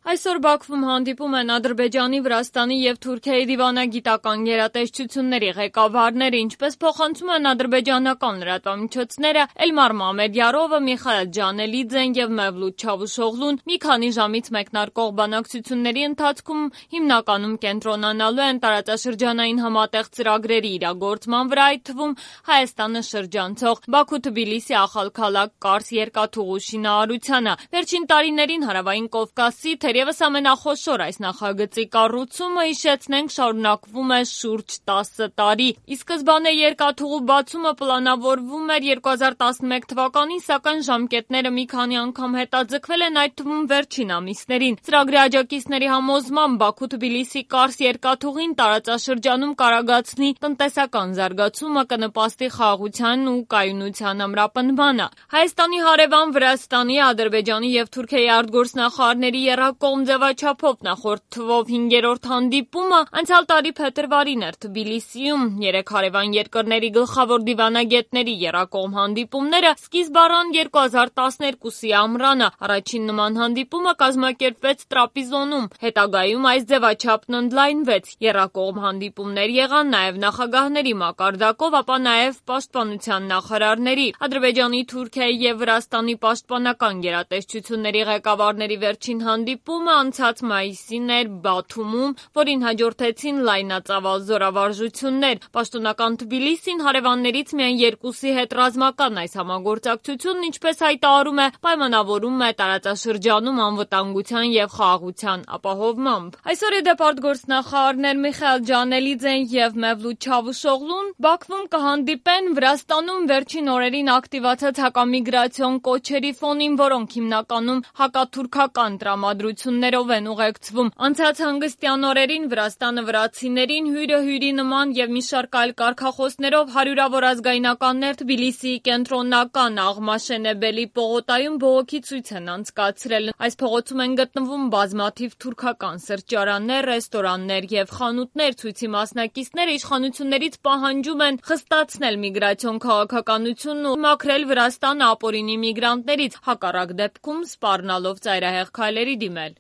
Այսօր Բաքվում հանդիպում են Ադրբեջանի, Վրաստանի և Թուրքիայի դիվանագիտական գերատեսչությունների ղեկավարները, ինչպես փոխանցում են ադրբեջանական լրատվամիջոցները, Էլմար Մամեդյարովը, Միխայել Ջանելիձեն և Մևլութ Չավուշօղլուն մի քանի ժամից մեկնարկող բանակցությունների ընթացքում հիմնականում կենտրոնանալու են տարածաշրջանային համատեղ ծրագրերի իրագործման վրա, այդ թվում Հայաստանը շրջանցող Բաքու-Թբիլիսի Ախալքալակ-Կարս երկաթուղու շինարարությանը։ Վերջին տարիներին Հարավային Կովկասի թերևս ամենախոշոր այս նախագծի կառուցումը, հիշեցնենք, շարունակվում է շուրջ 10 տարի։ Ի սկզբանե երկաթուղու բացումը պլանավորվում էր 2011 թվականին, սակայն ժամկետները մի քանի անգամ հետաձգվել են, այդ թվում վերջին ամիսներին։ Ծրագրի աջակիցների համոզմամբ Բաքու-Թբիլիսի-Կարս երկաթուղին տարածաշրջանում կարագացնի տնտեսական զարգացումը, կնպաստի խաղաղության ու կայունության ամրապնդմանը։ Հայաստանի հարևան Վրաստանի, Ադրբեջանի և Թուրքիայի արտգործնախարարների եռակողմ ձևաչափով նախորդ թվով 5-րդ հանդիպումը անցյալ տարի փետրվարին էր Թբիլիսիում։ Երեք հարևան երկրների գլխավոր դիվանագետների եռակողմ հանդիպումները սկիզբ առան 2012-ի ամռանը։ Առաջին նման հանդիպումը կազմակերպվեց Տրապիզոնում։ Հետագայում այս ձևաչափն ընդլայնվեց։ Եռակողմ հանդիպումներ եղան նաև նախագահների մակարդակով, ապա նաև պաշտպանության նախարարների։ Ադրբեջանի, Թուրքիայի և Վրաստանի պաշտպանական գերատեսչությունների ղեկավարների վերջին հանդիպումը անցած մայիսին էր Բաթումում, որին հաջորդեցին լայնածավալ զորավարժություններ։ Պաշտոնական Թբիլիսին հարևաններից միայն երկուսի հետ ռազմական այս համագործակցությունն, ինչպես հայտարարում է, պայմանավորում է տարածաշրջանում անվտանգության և խաղաղության ապահովմամբ։ Այսօր ի դեպ արտգործնախարարներ Միխայել Ջանելիձեն և Մևլութ Չավուշօղլուն Բաքվում կհանդիպեն Վրաստանում վերջին օրերին ակտիվացած հակամիգրացիոն կոչերի ֆոնին, որոնք հիմնականում հակաթուրքական տրամադրություններով են ուղեկցվում։ Անցած հանգստյան օրերին Վրաստանը վրացիներին հյուրը հյուրի նման և մի շարք այլ կարգախոսներով հարյուրավոր ազգայնականներ Թբիլիսիի կենտրոնական Աղմաշենեբելի պողոտայում բողոքի ցույց են անցկացրել։ Այս փողոցում են գտնվում բազմաթիվ թուրքական սրճարաններ, ռեստորաններ և խանութներ։ Ցույցի մասնակիցները իշխանություններից պահանջում են խստացնել միգրացիոն քաղաքականությունն ու մաքրել Վրաստանը ապօրինի միգրանտներից, հակառակ դեպքում սպառնալով ծայրահեղ քայլերի դիմել։